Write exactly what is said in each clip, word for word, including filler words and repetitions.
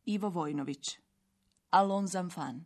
Ivo Vojnović. Alon Zamfan.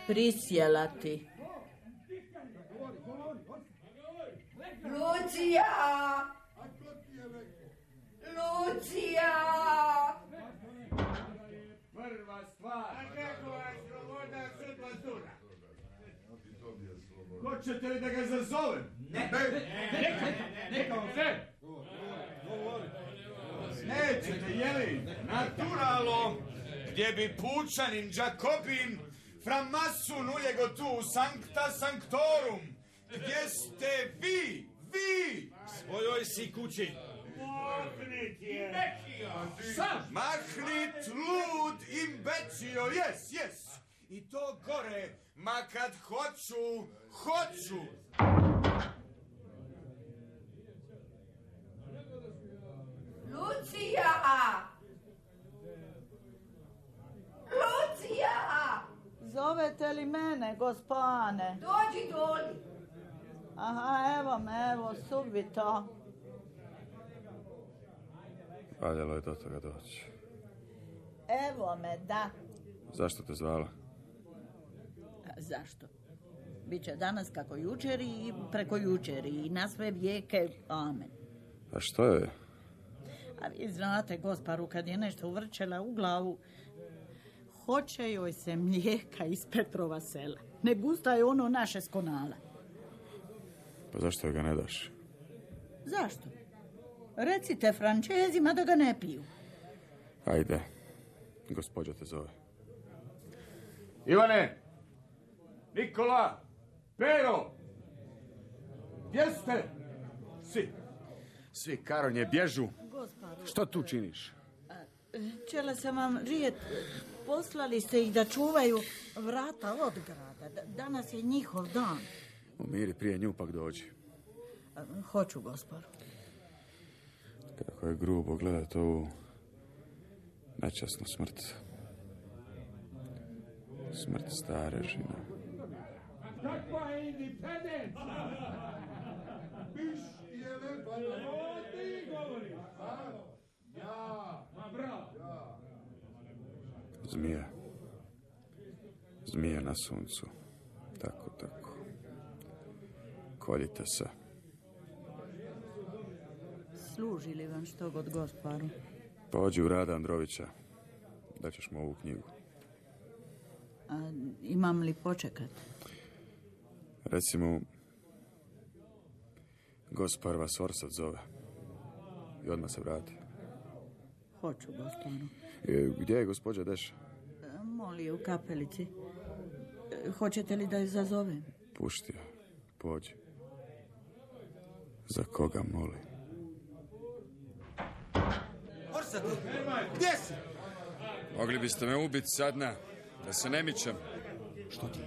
Prisjela ti. Lucija! Lucija! Prva stvar. Kako je sloboda sudba zura? Hoćete li da ga zazovem? Ne, neka, neka vam sve. Nećete, jeli? Naturalno, gdje bi Pučanin, Đakopin, Fra Masun ujego tu, Sancta Sanctorum. Gdje ste vi? Vi! Svojoj si kući. Mahnit je. Sam. Mahnit, lud, imbecio, jes, jes. I to gore, ma kad hoću, hoću. Lucija! Lucija! Zovete li mene, gospane? Dođi doli. Aha, evo me, evo, subito. Valjalo je do toga doći. Evo me, da. Zašto te zvala? A, zašto? Biće danas kako jučer i preko jučer i na sve vijeke, amen. A što je? A vi znate, gosparu, kad je nešto uvrčela u glavu, hoće joj se mlijeka iz Petrova sela. Ne gusta je ono naše s Konala. Pa zašto ga ne daš? Zašto? Recite Frančezima da ga ne piju. Ajde, gospođa te zove. Ivane, Nikola, Pero, gdje ste? Svi. Svi, Karonje, bježu. Gosparu, Što tu činiš? čela sam vam rijet, poslali ste ih da čuvaju vrata od grada. D- danas je njihov dan. Umiri, prije nju pak dođi. A, hoću, gosparu. Kako je grubo gledati ovu nečasnu smrt. Smrt stare žene. Kakva je independenca? Biš je lepa. O, ti govoriš. Ja. Ma bravo. Zmija. Zmija na suncu. Tako, tako. Koljite se. Služi li vam što god, gosparu? Pođi u Rada Androvića. Daćeš mu ovu knjigu. A, imam li počekat? Reci mu, gospar vas Orsat zove. I odmah se vrati. Hoću, gosparu. E, gdje je gospođa Deša? E, Moli u kapelici. E, hoćete li da je zazovem? Pušti je. Pođi. Za koga moli? Orsat, gdje si? Mogli biste me ubiti sadna, da se ne mičem. Što ti?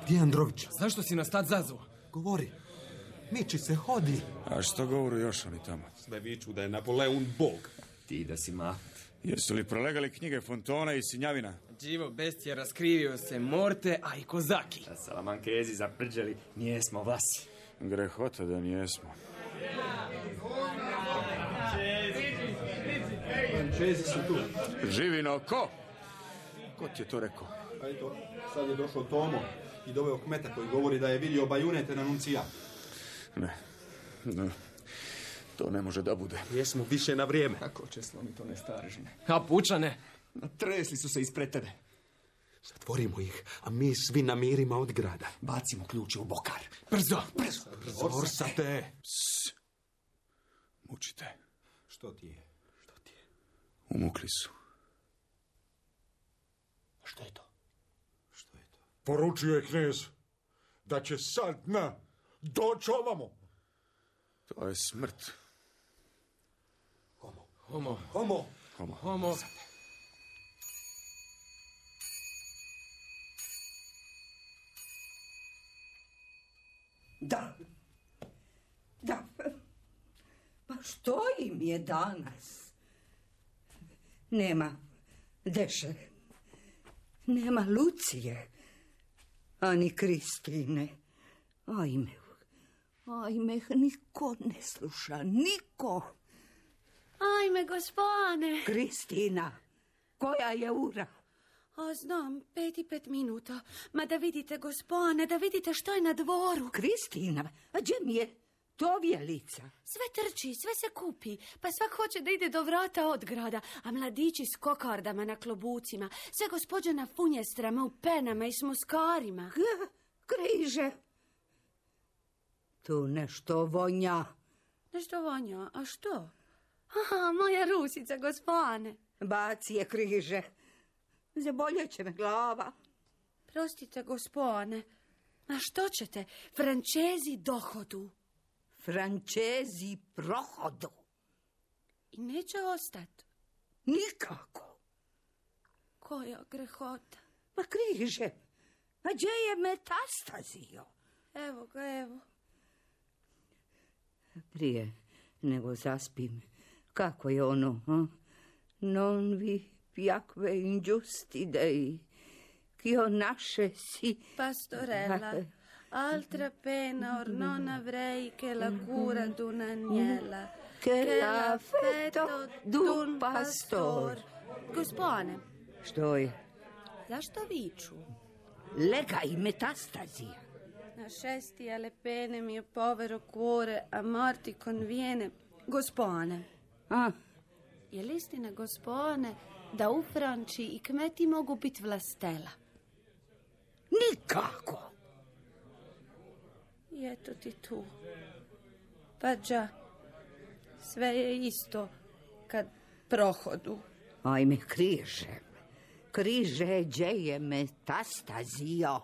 Gdje je Andrović? Zašto si nas tad zazvao? Govori. Miči se, hodi. A što govoru još oni tamo? Sve viču da je Napoleon bog. Ti da si maht. Jesu li prolegali knjige Fontona i Sinjavina? Đivo bestije raskrivio se Morte, a i Kozaki. Da Salamankezi zaprđali, nijesmo vlasi. Grehota da nijesmo. Frančezi su tu. Živino, ko? Ko ti je to rekao? A eto, sad je došao Tomo. ti doveo kmeta koji govori da je vidio bajunete na nuncijatu. Ne, ne, to ne može da bude. Jesmo više na vrijeme. Kako će slomiti to nestaržine? A pučane? Natresli su se ispred tebe. Zatvorimo ih, a mi svi na mirima od grada. Bacimo ključe u bokar. Brzo! Brzo! Orsate! Psst. Mučite. Što ti je? Što ti je? Umukli su. Što je to? Što je to? Poručio je knez da će sad na doći ovamo. To je smrt. Homo. Homo. Homo. Homo. Homo. Da. Da. Pa što im je danas? Nema Deše. Nema Lucije. Ani Kristine. Ajme. Ajme, niko ne sluša. Niko. Ajme, gospane. Kristina. Koja je ura? A znam, pet i pet minuta. Ma da vidite, gospane, da vidite što je na dvoru. Kristina, a gdje mi je tovjelica? Sve trči, sve se kupi. Pa svak hoće da ide do vrata od grada. A mladići s kokardama na klobucima. Sve gospođe na funjestrama, u penama i s muskarima. K- križe. Tu nešto vonja. Nešto vonja, a što? Aha, moja Rusica, gospane. Baci je križe. Zaboljet će me glava. Prostite, gospane. A što ćete? Frančezi dohodu. Frančezi prohodu. I neće ostati. Nikako. Koja grehota. Ma križe. A gdje je metastazio? Evo ga, evo. Prije nego zaspim. Kako je ono, ha? Non vi piacque ingiusti dei, ch'io nascesi... Pastorella, altra pena or non avrei che la cura d'un agnella, che l'affetto d'un pastor. Gospane. Što je? Zašto viču? Lega i metastazija. Na šesti alle pene mio povero cuore a morti conviene. Gospane. A? Je li istina, gospane, da u Franči i kmeti mogu biti vlastela? Nikako. I eto ti tu. Pa đa, sve je isto kad prohodu. Ajme, križe. Križe, gdje je metastazio?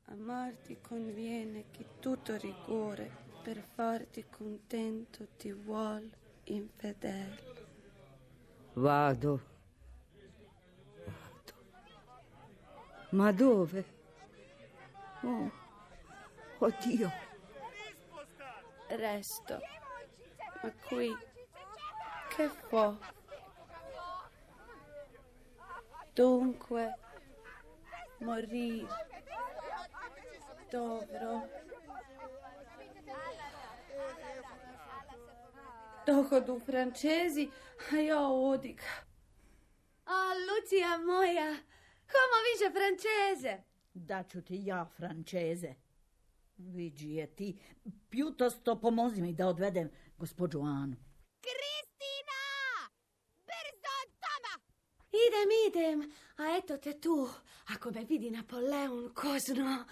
A Marti conviene che tutto rigore per farti contento ti vuol infedel. Vado. Vado. Ma dove? Oh, oddio. Resto. Ma qui, che fo? Dunque, morì. Dobro. Dohodu Francesi, a ja odik. A, Lucija moja, come viže Francese? Daću ti ja Francese. Viđi je ti. Piutosto pomozi mi da odvedem gospođu Anu. Kristina! Brzo od doma! Idem, idem. A eto te tu. Ako me vidi Napoleon kozno.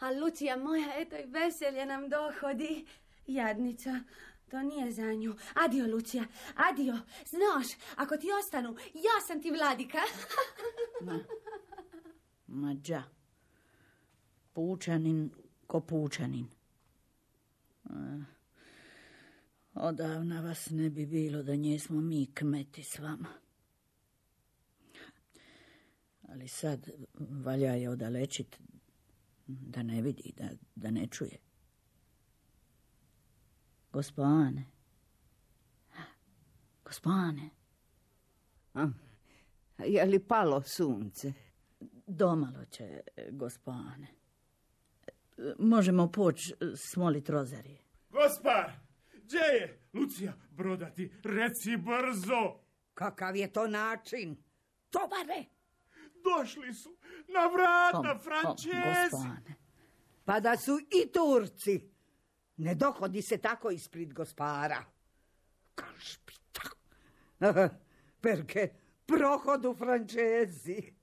A Lucija moja, eto i veselje nam dohodi. Jadnica, to nije za nju. Adio, Lucija, adio. Znaš, ako ti ostanu, ja sam ti vladika. Ma, ma đa. Pučanin ko pučanin. A, odavna vas ne bi bilo da njesmo mi kmeti s vama. Ali sad valja je odalečit da ne vidi, da, da ne čuje. Gospane. Gospane. A, je li palo sunce? Domalo će, gospane. Možemo poći smolit rozarije. Gospar, gdje je? Lucija, brodati, reci brzo. Kakav je to način? Tobare! Došli su na vrata, Kom, kom, Francezi. gospane, Pa da su i Turci. Ne dohodi se tako ispred gospara. Kašpita. Perché prohodu Francezi.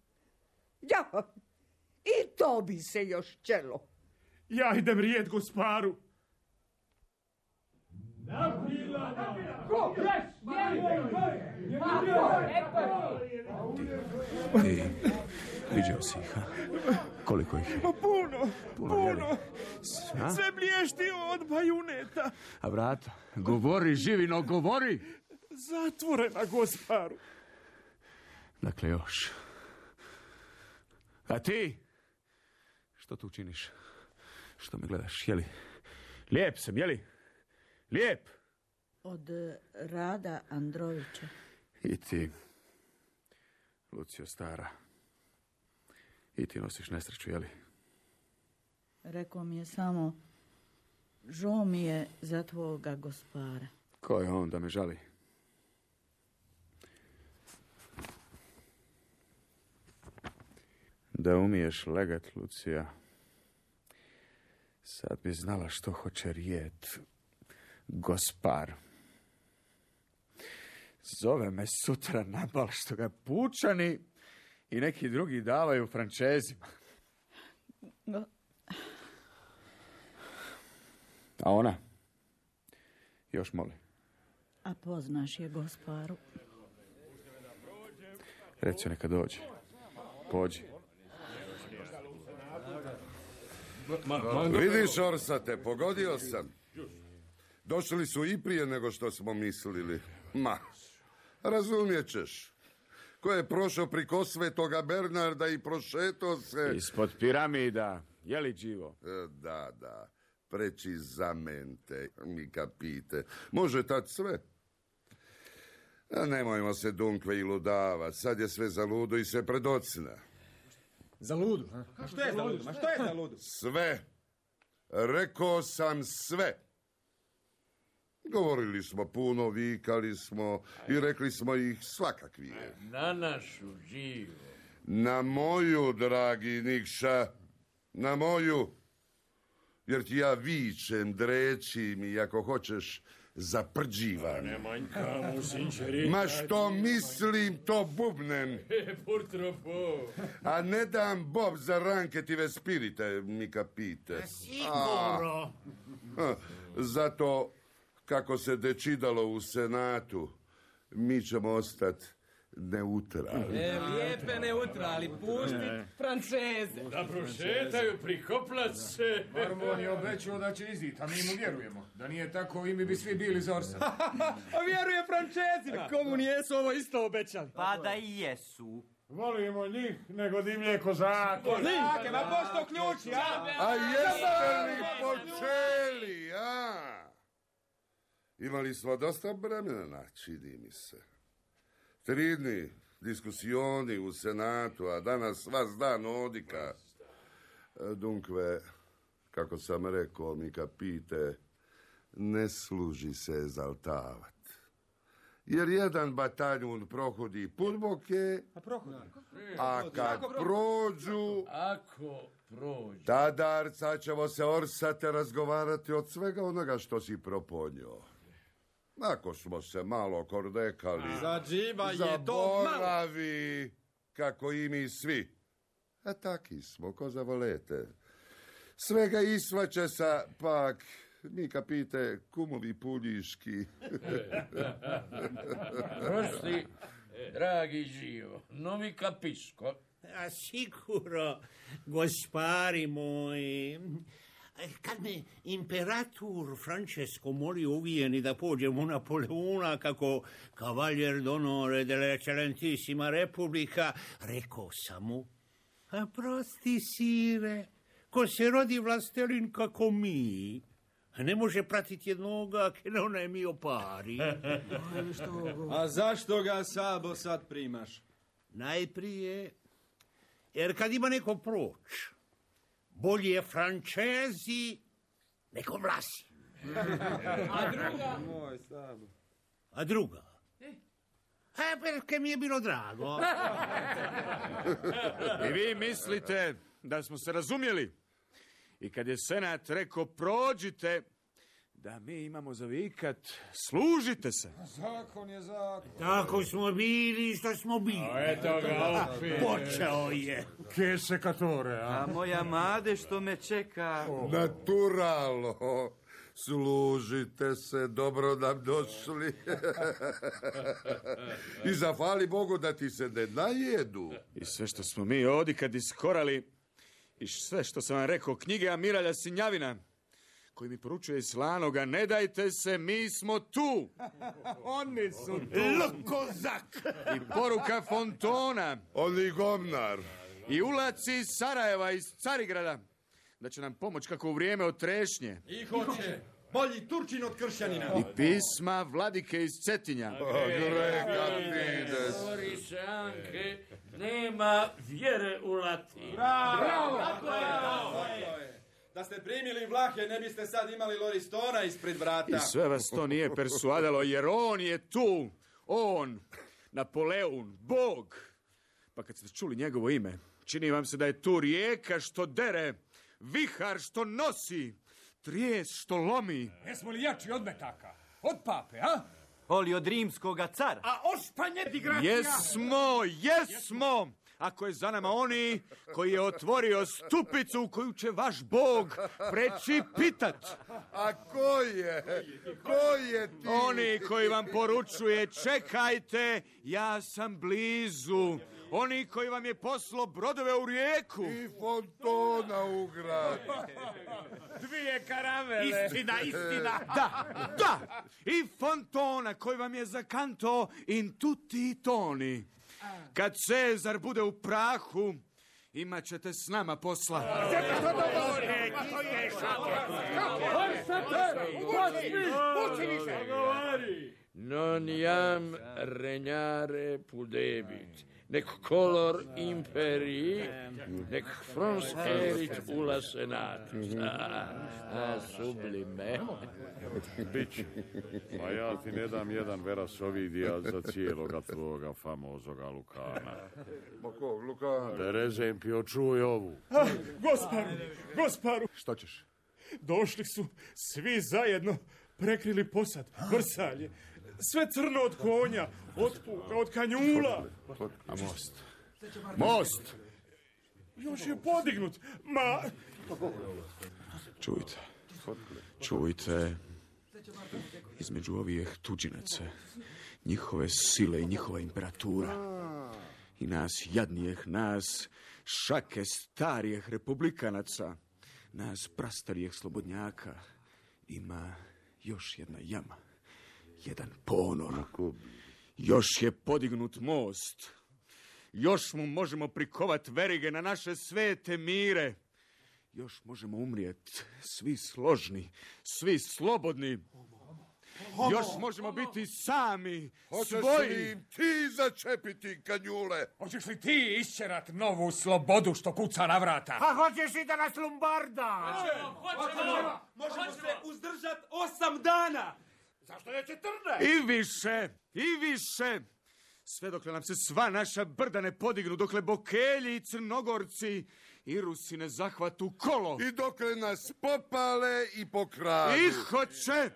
Ja, i to bi se još čelo. Ja idem rijet gosparu. Ti, vidio si ih, ha? Koliko ih je? Pa puno, Puno, puno. jeli? A? Sve blješti od bajuneta. A vrata? Govori, Živino, govori! Zatvorena, gosparu. Dakle, još. A ti? Što tu činiš? Što me gledaš, jeli? Lijep sam, jeli? Lijep! Od Rada Androvića. I ti, Lucio stara. I ti nosiš nesreću, jeli? Rekao mi je samo, žao mi je za tvoga gospara. Ko je on da me žali? Da umiješ legat, Lucija. Sad bi znala što hoće rijet. Gospar. Zove me sutra na bal što ga pučani i neki drugi davaju Francezima. Go- A ona? Još moli. A poznaš je gosparu. Reci neka dođe. Pođi. Vidiš, Orsate, pogodio sam. Došli su i prije nego što smo mislili. Ma, razumijet ćeš. Ko je prošao priko Svetoga Bernarda i prošetao se... Ispod piramida. Je li živo? E, Da, da. Precisamente, mi capite. Može tad sve. A nemojmo se dunkve i ludava. Sad je sve za ludu i sve predocina. Za ludu? A što je za ludu? Ma što je za ludu? Sve. Rekao sam sve. Govorili smo puno, vikali smo i rekli smo ih svakakvije. Na našu živo. Na moju, dragi Nikša, na moju. Jer ti ja vičem, drećim i ako hoćeš zaprđivam. Ne manjka mu, sinčeri. Ma što mislim, to bubnem. Purtropo. A ne dam Bob za ranketive spirite, mi kapite. Sigurno. A, zato, kako se dečidalo u Senatu, mi ćemo ostati neutralni. E, lijepe neutrali, pušti Franceze. Da prošetaju, prikoplat se. Marmon je obećao da će izit, a mi mu vjerujemo. Da nije tako, i mi bi svi bili za Orsa. A vjeruje Francezima. Komu nijesu ovo isto obećali? Pa da i jesu. Volimo njih nego divlje kozake. Kozake, ma pošto ključi, a? A jeste li počeli, a? Imali smo dosta vremena, čini mi se. Tri dni diskusioni u Senatu, a danas vas dan odika. Dunkve, kako sam rekao, mi kapite, ne služi se ezaltavat. Jer jedan bataljun prohodi put boke, a kad prođu, Ako prođu. tadarca ćemo se Orsate razgovarati od svega onoga što si proponio. Ako smo se malo kordekali, Za džiba je to malo. zaboravi, kako i mi svi. A taki smo, ko zavolete. Svega isvaće sa, pak, mi kapite, kumovi puljiški. Prošli, dragi živo, novi kapiško. A siguro, gospari moji, kad me imperator Francesco moli uvijeni da pođem u Napoleona kako kavaljer d'onore della eccellentissima Republika, rekao sam mu, a prosti sire, ko se rodi vlastelin kako mi, ne može pratiti jednoga che non è mio pari. A zašto ga Sabo sad primaš? Najprije, jer kad ima neko proć, bolje Francezi nego Vlasi. A druga? Moj Sabo. A druga? E, perché mi je bilo drago. I vi mislite da smo se razumjeli? I kad je senat rekao prođite, da mi imamo za vikat služite se. Zakon je zakon. Tako smo bili što smo bili. A eto ga opet. Počeo je. Che secatore, a? A moja made što me čeka. Naturalno. Služite se, dobro nam došli. I zahvali Bogu da ti se ne najedu. I sve što smo mi ovdje kad iskorali, i sve što sam vam rekao, knjige Amiralja Sinjavina, koji mi poručuje iz Slanoga, ne dajte se, mi smo tu. Oni su tu. Lokozak. I poruka Fontona. Oni govnar. I ulaci iz Sarajeva, iz Carigrada, da će nam pomoć kako u vrijeme od trešnje. I hoće. Bolji Turčin od kršćanina. I pisma vladike iz Cetinja. Greka Fides. Boris Anke, nema vjere u Latin. Bravo! Bravo! Da ste primili Vlahe, ne biste sad imali Loristona ispred vrata. I sve vas to nije persuadalo, jer on je tu. On, Napoleon, Bog. Pa kad ste čuli njegovo ime, čini vam se da je tu rijeka što dere, vihar što nosi, trijes što lomi. Jesmo li jači od metaka? Od pape, a? Oli od rimskoga cara. A ošpanje digracija? Jesmo, jesmo! Ako je za nama oni koji je otvorio stupicu u koju će vaš Bog preći pitat. A ko je? Ko je ti? Oni koji vam poručuje čekajte, ja sam blizu. Oni koji vam je poslao brodove u rijeku. I Fontona u grad. Dvije karavele. Istina, istina. Da, da. I Fontona koji vam je zakanto in tutti i toni. Kad Cezar bude u prahu, imat ćete s nama posla. Non iam regnare pudebit, nec color imperii, nec frons erit ulla senatus. A, sublime. Bić, pa ja ti ne dam jedan veras ovidija za cijeloga tvoga famozoga Lukana. Ma kog, Lukana? Terezempio, čuj ovu. Ah, gosparu, gosparu. Što ćeš? Došli su svi zajedno, prekrili posad, vrsalje. Sve crno od konja, od puka, od kanjula. A most? Most! Još je podignut, ma... Čujte, čujte, između ovih tuđinaca, njihove sile i njihova imperatura, i nas jadnijeh, nas šake starijeh republikanaca, nas prastarijeh slobodnjaka, ima još jedna jama, jedan ponor. Još je podignut most. Još mu možemo prikovat verige na naše svete mire. Još možemo umrijet svi složni, svi slobodni. Još možemo biti sami, Hoćeš svoji. li im ti začepiti kanjule? Hoćeš li ti isčerat novu slobodu što kuca na vrata? Pa hoćeš i da nas lombarda? Hoćemo! Možemo se uzdržat osam dana! Zašto ne četrnaest? I više, i više. Sve dokle nam se sva naša brda ne podignu, dokle Bokelji i Crnogorci i Rusi ne zahvatu kolo. I dokle nas popale i pokradu. I hoće.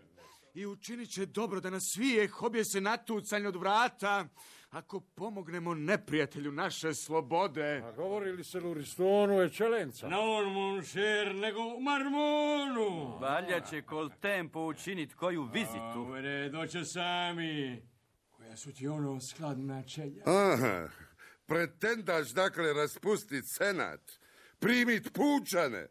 I učinit će dobro da nas svijeh objese natucanje od vrata, ako pomognemo neprijatelju naše slobode. A govori li se Loristonu Eccellenza? Non moncher, nego u Marmonu. Valja će kol tempo učinit koju vizitu. Uvere, doće sami. Koja su ti ono skladna čelja? Aha, pretendaš dakle raspustit senat, primit pučane.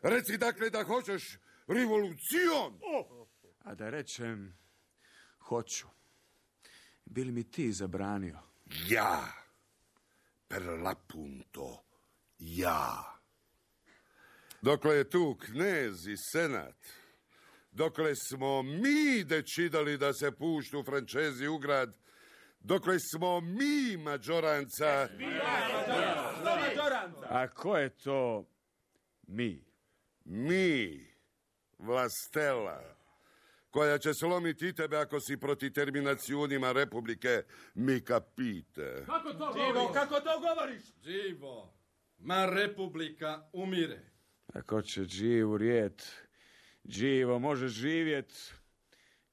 Reci dakle da hoćeš revolucion. Oh. A da rečem, hoću. Bi li mi ti zabranio? Ja, per l'appunto, ja. Dokle je tu knez i senat, dokle smo mi decidali da se puštu Francezi u grad, dokle smo mi mađoranca... A ko je to mi? Mi, vlastela, koja će slomiti i tebe ako si proti terminacijunima republike, mi capite. Kako to Živo, govoriš? kako to govoriš? Živo, ma republika umire. Ako će živu rijet, živo može živjet,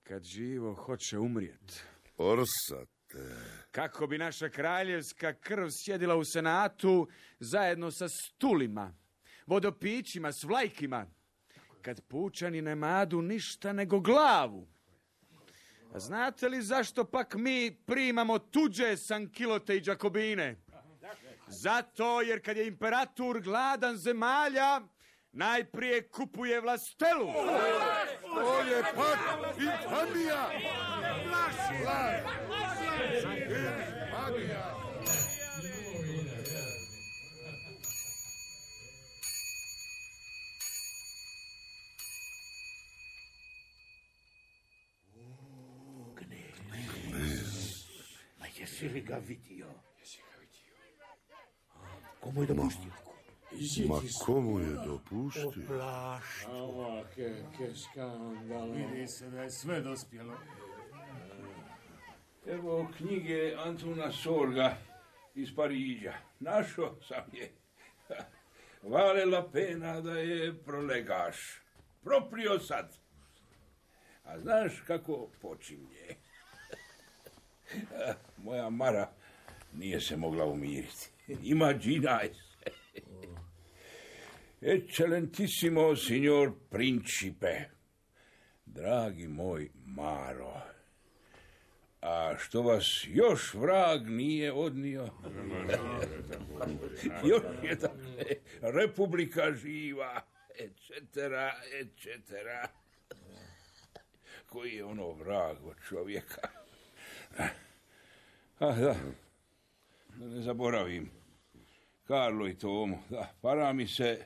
kad živo hoće umrijet. Orsate. Kako bi naša kraljevska krv sjedila u senatu zajedno sa stulima, vodopićima, s vlajkima, kad pučani ne madu ništa nego glavu. A znate li zašto pak mi primamo tuđe sankilote i đakobine? Zato jer kad je imperator gladan zemalja, najprije kupuje vlastelu. To je pak infamija! Ma jesi li ga vidio? Komu je dopustio? Ma komu je dopustio? Oplaštu. Ova, ke, ke skandalo. Vidi se da je sve dospjelo. Evo knjige Antuna Sorga iz Pariđa. Našao sam je. Vale la pena da je prolegaš. Proprio sad. A znaš kako počinje? Moja Mara nije se mogla umiriti. Imaginaj se. Eccellentissimo signor principe. Dragi moj Maro. A što vas još vrag nije odnio? Još je dakle Republika živa, et cetera, et cetera. Koji je ono vrag od čovjeka? Ah, da. Da ne zaboravim. Karlo i Tomo, da, para mi se.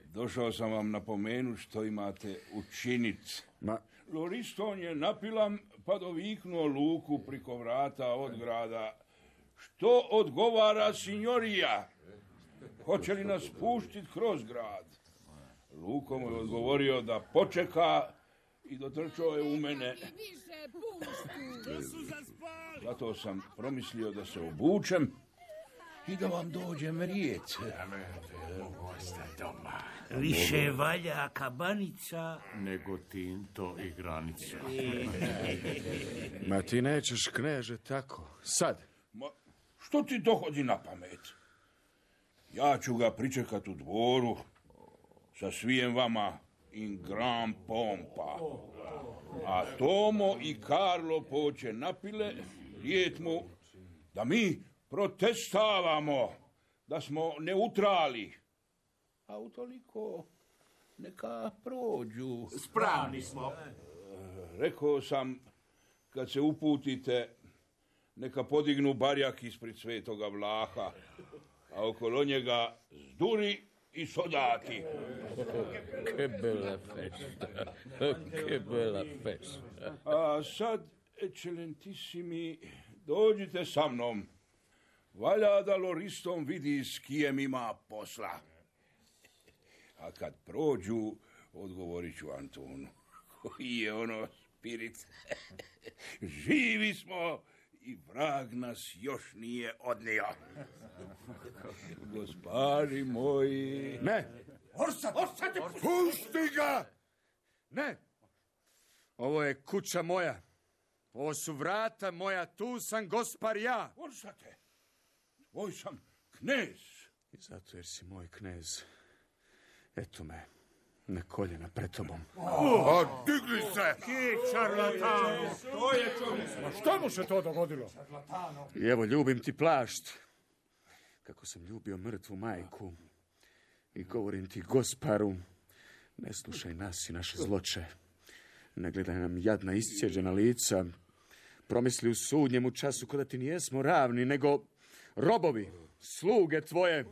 Došao sam vam napomenuti što imate učiniti. Ma... Loriston je napilam pa doviknuo Luku priko vrata od grada. Što odgovara signorija? Hoće li nas puštiti kroz grad? Luko mu je odgovorio da počeka i dotrčao je u mene. Zato sam promislio da se obučem i da vam dođem riječ. Više valja kabanica nego tinto i granica. Ma ti nećeš, kneže, tako. Sad. Ma, što ti dohodi na pamet? Ja ću ga pričekat u dvoru sa svijem vama in gran pompa. A Tomo i Karlo poće napile rijet mu da mi protestavamo, da smo neutrali. A utoliko neka prođu. Spravni smo. Rekao sam, kad se uputite, neka podignu barjak ispred Svetoga Vlaha, a okolo njega zduri i soldati. Che bella festa, che bella festa. A sad, eccellentissimi, dođite sa mnom. Valja da Loriston vidi s kijem ima posla. A kad prođu, odgovorit ću Antonu, koji je ono spirit. Živi smo i vrag nas još nije odnio. Gospari moji... Ne! Orsat! Orsat! Pusti ga! Ne! Ovo je kuća moja. Ovo su vrata moja. Tu sam gospar ja. Orsate! Tvoj sam knez. I zato jer si moj knez. Eto me, na koljena pred tobom. A digli se! Ki čarlatano! To je čovjek. Ma šta mu se to dogodilo? I evo, ljubim ti plašt. Kako sam ljubio mrtvu majku. I govorim ti, gosparu, ne slušaj nas i naše zloče. Ne gledaj nam jadna iscijeđena lica. Promisli u sudnjemu času kada ti nijesmo ravni, nego robovi, sluge tvoje.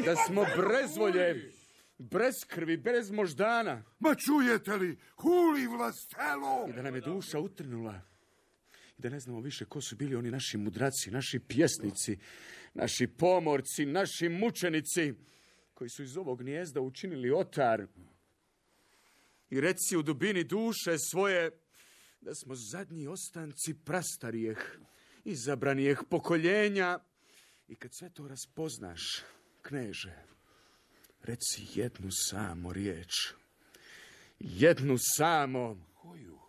Da smo brezvolje, bez krvi, bez moždana. Ma čujete li, huli vlastelo! I da nam je duša utrnula. I da ne znamo više ko su bili oni naši mudraci, naši pjesnici, naši pomorci, naši mučenici, koji su iz ovog gnijezda učinili otar. I reci u dubini duše svoje da smo zadnji ostanci prastarijeh, izabranijeh pokoljenja. I kad sve to raspoznaš, kneže, Reci jednu samo riječ. Jednu samo. Koju?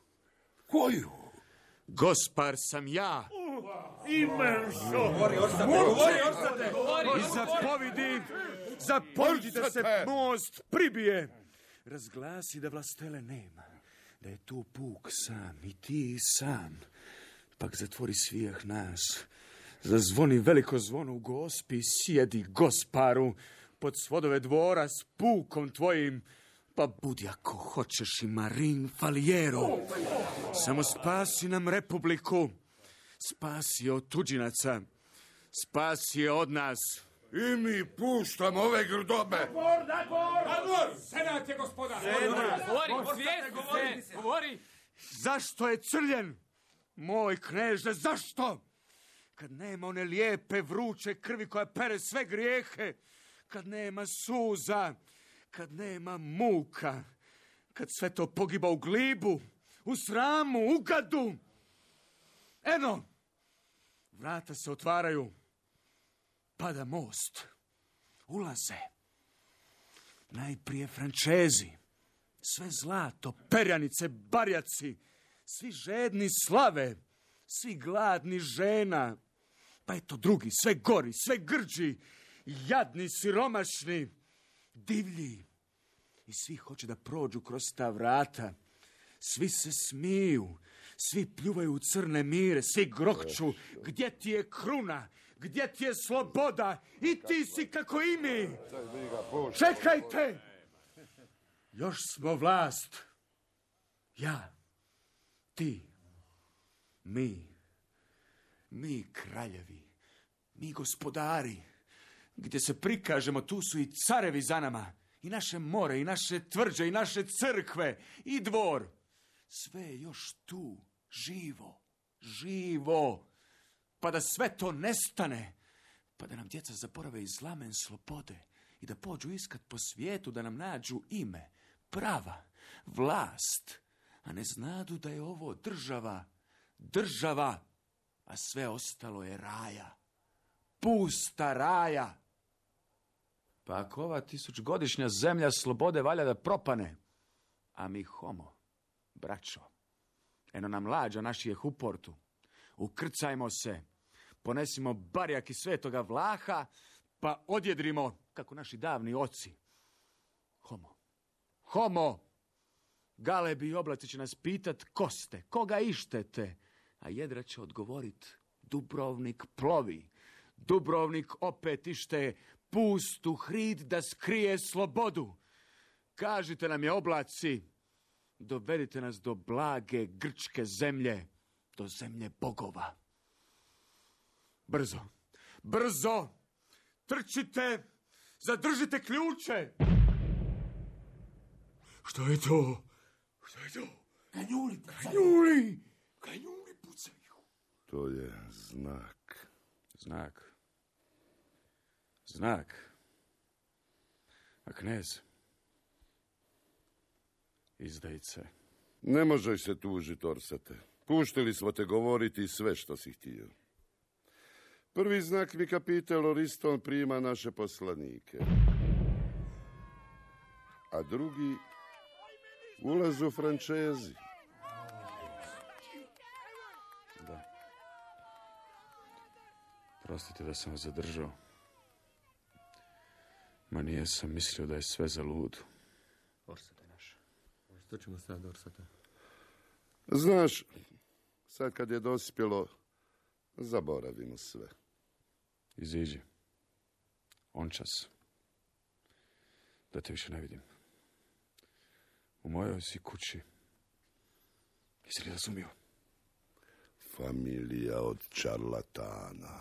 Koju? Gospar sam ja. Imenso! Govori, ostate, govori, ostate! I zapovidi, zapovidi da se most pribije. Razglasi da vlastele nema. Da je tu puk sam i ti sam. Pak zatvori svijeh nas. Zazvoni veliko zvono u Gospi, sjedi Gosparu pod svodove dvora s pukom tvojim. Pa budi ako hoćeš i Marin Faliero. Samo spasi nam republiku. Spasi je od tuđinaca. Spasi je od nas. I mi puštamo ove grdobe. Dakor, dakor! Dakor! Senat je gospodar! Senat! Govori, govori, govori! Zašto je crljen? Moj kneže, zašto? Kad nema one lijepe vruće krvi koja pere sve grijehe, kad nema suza, kad nema muka, kad sve to pogiba u glibu, u sramu, u gadu. Eno, vrata se otvaraju, pada most, ulaze. Najprije Frančezi, sve zlato, perjanice, barjaci, svi žedni slave, svi gladni žena. Pa eto drugi, sve gori, sve grđi, jadni, siromašni, divlji. I svi hoće da prođu kroz ta vrata. Svi se smiju, svi pljuvaju u crne mire, svi grokću. Gdje ti je kruna? Gdje ti je sloboda? I ti si kako i mi. Čekajte! Još smo vlast. Ja, ti, mi, mi kraljevi, mi gospodari. Gdje se prikažemo, tu su i carevi za nama. I naše more, i naše tvrđe, i naše crkve, i dvor. Sve je još tu, živo, živo. Pa da sve to nestane. Pa da nam djeca zaborave iz lamen slobode. I da pođu iskat po svijetu, da nam nađu ime, prava, vlast. A ne znadu da je ovo država, država, a sve ostalo je raja. Pusta raja. Pa ako ova tisućgodišnja zemlja slobode valja da propane, a mi homo, braćo, eno nam lađa naših u portu, ukrcajmo se, ponesimo barjak iz svetoga Vlaha, pa odjedrimo, kako naši davni oci. Homo, homo, Galebi i oblaci će nas pitat ko ste, koga ištete, a Jedra će odgovorit Dubrovnik plovi, Dubrovnik opet ište pustu hrid da skrije slobodu. Kažite nam je oblaci, dovedite nas do blage grčke zemlje, do zemlje bogova. Brzo, brzo, trčite, zadržite ključe. Što je to? Što je to? Kanjuli, kanjuli, kanjuli pucaju. To je znak. Znak. Znak. A knez? Izdajice. Ne možeš se tužiti, Orsate. Puštili smo te govoriti sve što si htio. Prvi znak mi kapitel Oriston prima naše poslanike. A drugi ulazu Frančezi. Da. Prostite da sam vas zadržao. Ma nije sam mislio da je sve za ludu. Orsate naš. Što ćemo sad, Orsate? Znaš, sad kad je dospjelo, zaboravimo sve. Iziđi. On čas. Da te više ne vidim. U mojoj si kući. Jesi li razumio? Familija od čarlatana.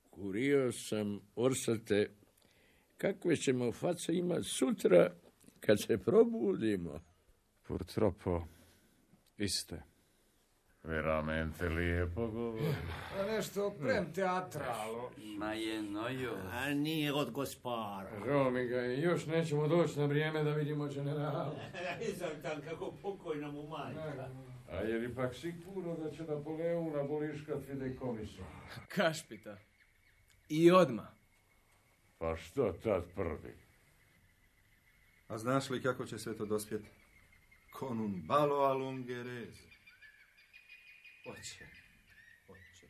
Kurio sam, Orsate, kakve ćemo face imat sutra kad se probudimo. Purtroppo, iste. Veramente lijepo govori. A nešto prem teatralo. Ma je nojo. A nije od Gospara. Žao mi ga i još nećemo doći na vrijeme da vidimo generala. Nisam tam kako pokojna mu majka. A je li pak sigurno da će Napoleon aboliškat fideikomisa? Kašpita. I odma. Pa što tad prvi? A znaš li kako će sve to dospjeti? Con un ballo all'ungherese. Oće, oće.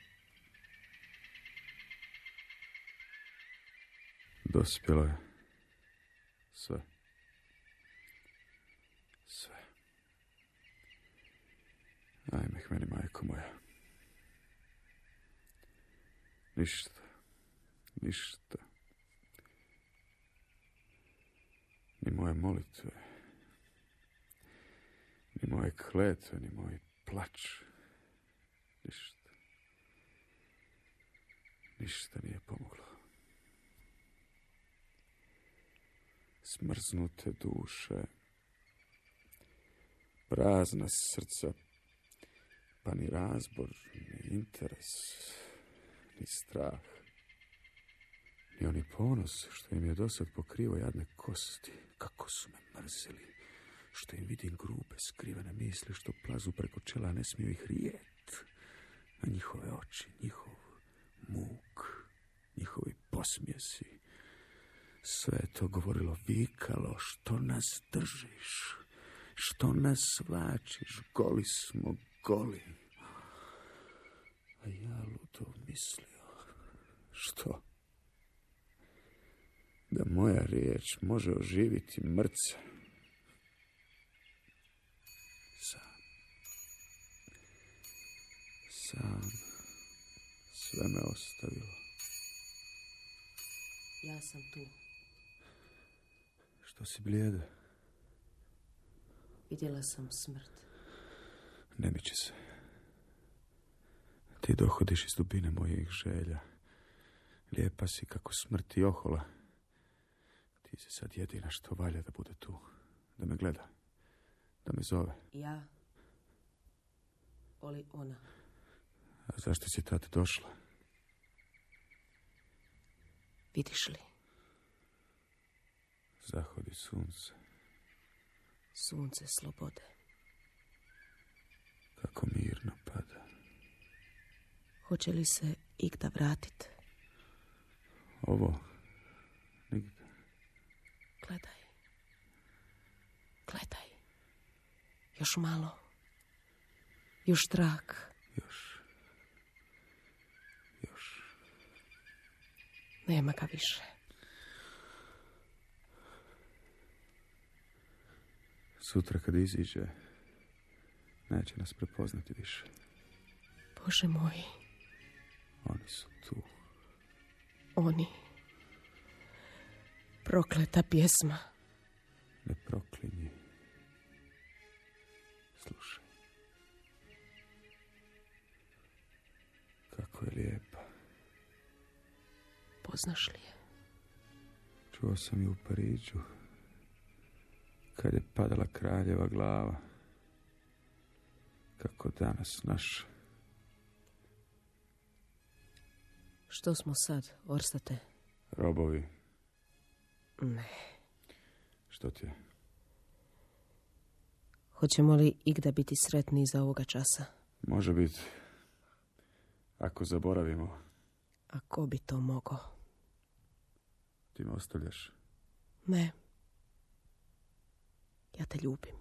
Dospjelo je. Sve. Sve. Ajme k meni, majko moja. Ništa. Ništa. Ni moje molitve. Ni moje kletve, ni moj plač. Ništa. Ništa nije pomoglo. Smrznute duše, prazna srca, pa ni razbor, ni interes, ni strah, ni oni ponos što im je dosad pokrivo jadne kosti, kako su me mrzili, što im vidim grube, skrivene misli što plazu preko čela, ne smiju ih rijet, na njihove oči, njihov muk, njihovi posmjesi. Sve je to govorilo, vikalo, što nas držiš, što nas vlačiš, goli smo, goli. A ja ludo mislio, što? Da moja riječ može oživiti mrca. Sam. Sam. Sve me ostavilo. Ja sam tu. Što si blijeda? Vidjela sam smrt. Ne miči se. Ti dohodiš iz dubine mojih želja. Lijepa si kako smrt i ohola. Ti si sad jedina što valja da bude tu. Da me gleda. Da me zove. Ja. Oli ona. A zašto si tad došla? Vidiš li? Zahodi sunce. Sunce slobode. Kako mirno pada. Hoće li se igda vratit? Ovo? Nigde. Gledaj. Gledaj. Još malo. Još trak. Još. Još. Nema ga više. Sutra kad iziđe, neće nas prepoznati više. Bože moj. Oni su tu. Oni. Prokleta pjesma. Ne proklinji. Slušaj. Kako je lijepa. Poznaš li je? Čuo sam ju u Pariđu. Kad je padala kraljeva glava. Kako danas naš. Što smo sad, Orsate? Robovi. Ne. Što ti je? Hoćemo li igda biti sretni za ovoga časa? Može biti. Ako zaboravimo. A ko bi to mogao? Ti me ostavljaš. Ne. Ja te ljubim.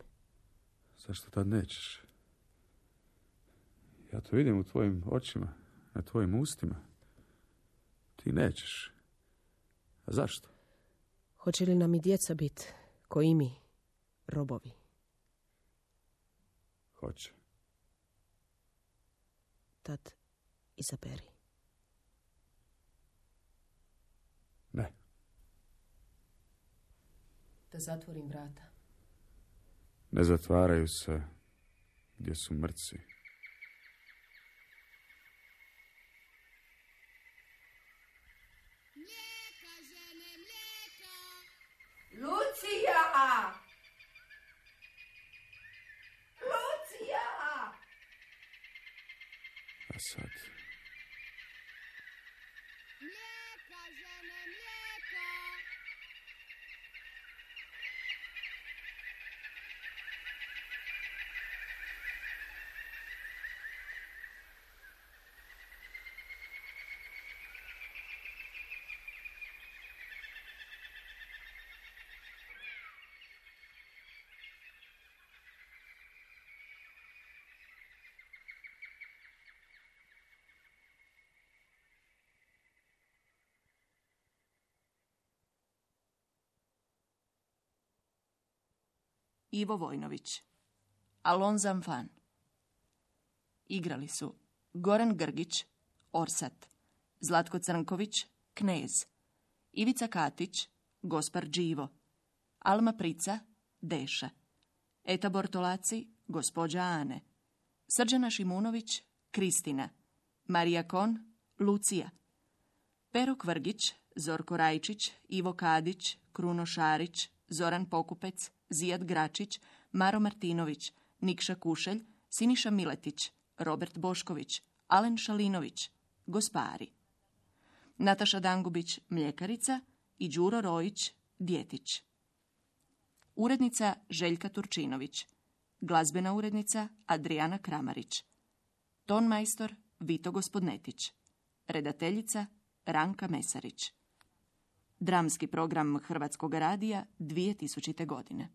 Zašto tad nećeš? Ja to vidim u tvojim očima, na tvojim ustima. Ti nećeš. A zašto? Hoće li nam i djeca biti, ko i mi, robovi? Hoće. Tad izaberi. Ne. Da zatvorim vrata. Ne zatvaraju se gdje su mrci. Lucija! Lucija! A sad? Mlijeka, žene, mlijeka! Ivo Vojnović. Alon Zamfan. Igrali su Goran Grgić, Orsat, Zlatko Crnković, Knez, Ivica Katić, Gospar Đivo, Alma Prica, Deša, Eta Bortolaci, gospođa Ane, Srđana Šimunović, Kristina, Marija Kon, Lucija, Pero Kvrgić, Zorko Rajčić, Ivo Kadić, Kruno Šarić, Zoran Pokupec, Zijad Gračić, Maro Martinović, Nikša Kušelj, Siniša Miletić, Robert Bošković, Alen Šalinović, Gospari, Nataša Dangubić, Mljekarica i Đuro Rojić, Djetić. Urednica Željka Turčinović. Glazbena urednica Adriana Kramarić. Tonmajstor Vito Gospodnetić. Redateljica Ranka Mesarić. Dramski program Hrvatskog radija dvije tisućite. godine.